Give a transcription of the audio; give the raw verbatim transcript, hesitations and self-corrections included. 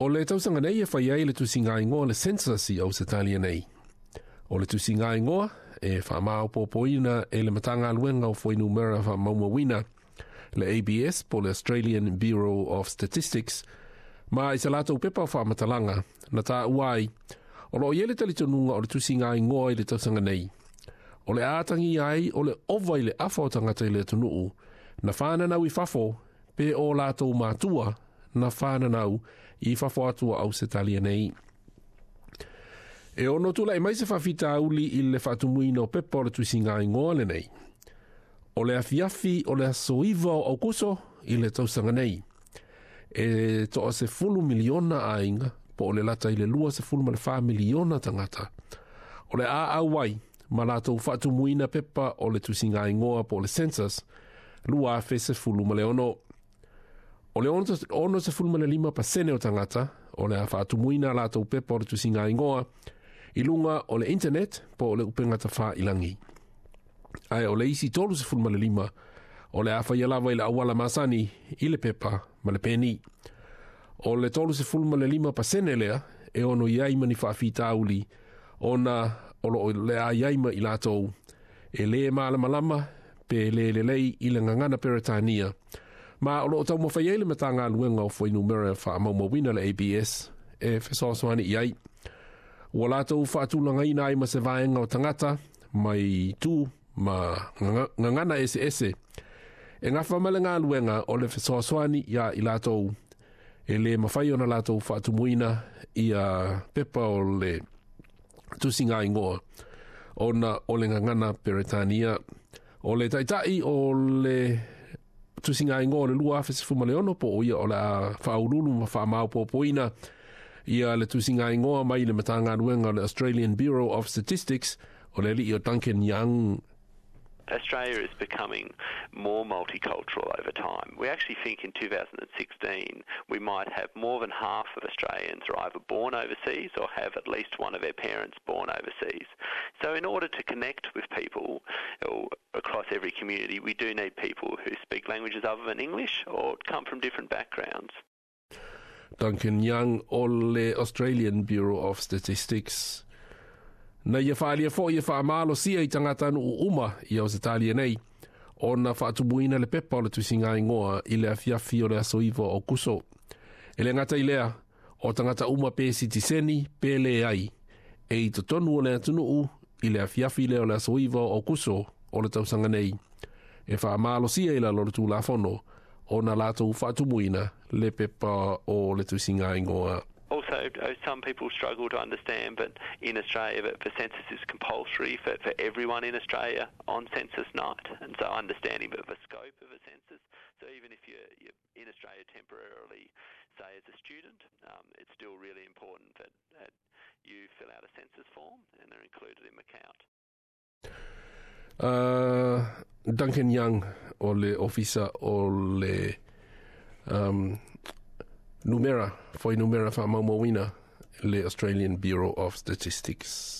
O le tausaga nei e fai ai le tusiga igoa, le census, i Ausetalia nei. O le tusiga igoa e faamaopoopoina e le Matagaluega o Fuainumera Faamaumauina, le A B S po le Australian Bureau of Statistics, ma i sa latou pepa o faamatalaga na taua ai o loo i ai le talitonuga o le tusiga igoa i le tausaga nei o le a atagia ai o le ova i le afa o tagata i le atunuu na whananau i fafo pe o latou matua na whananau i fafo atu o Ausetalia nei. E ono tulai mai se faafitauli i le faatumuina o pepa o le tusiga igoa lenei. O le afiafi o le aso iva o Aukuso i le tausaga nei, e toa se fulu miliona aiga po o le lata i le lua se fulu ma le wha miliona tagata o le a auai ma latou faatumuina pepa o le tusiga igoa po o le census lua afe se fulu ma le ono. O le ono se fulu ma le lima pasene o tagata o le a faatumuina latou pepa o le tusiga igoa i luga o le internet po o le upega tafailangi. Ae o le isi tolu se fulu ma le lima o le a faia lava i le auala masani i le pepa ma le peni. O le tolu se fulu ma le lima pasene lea e ono i ai ma ni faafitauli ona o lo le a iai ma i latou e le malamalama pe le lelei i le gagana Peretania. Ma o loo taumafai ai le Matagaluega o Fuainumera Faamaumauina, le A B S, e fesoasoani i ai. Ua latou faatulagaina ai ma se vaega o tagata mai tu ma gagana eseese e gafa ma le galuega o le fesoasoani ia i latou e le mafai ona latou faatumuina ia pepa o le tusiga igoa ona o le gagana Peretania. O le taitai o le tusiga igoa o le lua afe sefulu ma le ono po o ia o le a faaululu ma faamaopoopoina ia le tusiga igoa mai le Matagaluega o le Australian Bureau of Statistics, o le alii o Duncan Young. Australia is becoming more multicultural over time. We actually think in twenty sixteen we might have more than half of Australians are either born overseas or have at least one of their parents born overseas. So in order to connect with people across every community, we do need people who speak languages other than English or come from different backgrounds. Duncan Young o le Australian Bureau of Statistics. Na ia faalia foi e faamalosia i tagata nuu uma i Ausetalia nei ona faatumuina le pepa o le tusiga igoa i le afiafi o le aso iva o Kuso. E le gata i lea, o tagata uma pe sitiseni pe le ai, e i totonu o le atunuu i le afiafi lea o le aso iva o Kuso o le tausaga nei, e faamalosia i lalo o le tulafono ona latou faatumuina le pepa o le tusiga igoa. Also, uh, some people struggle to understand, but in Australia, that the census is compulsory for, for everyone in Australia on census night. And so understanding the, the scope of a census, so even if you're, you're in Australia temporarily, say as a student, um, it's still really important that, that you fill out a census form and they're included in the count. Uh, Duncan Young o le ofisa o le um, numera, fuainumera faamaumauina, le Australian Bureau of Statistics.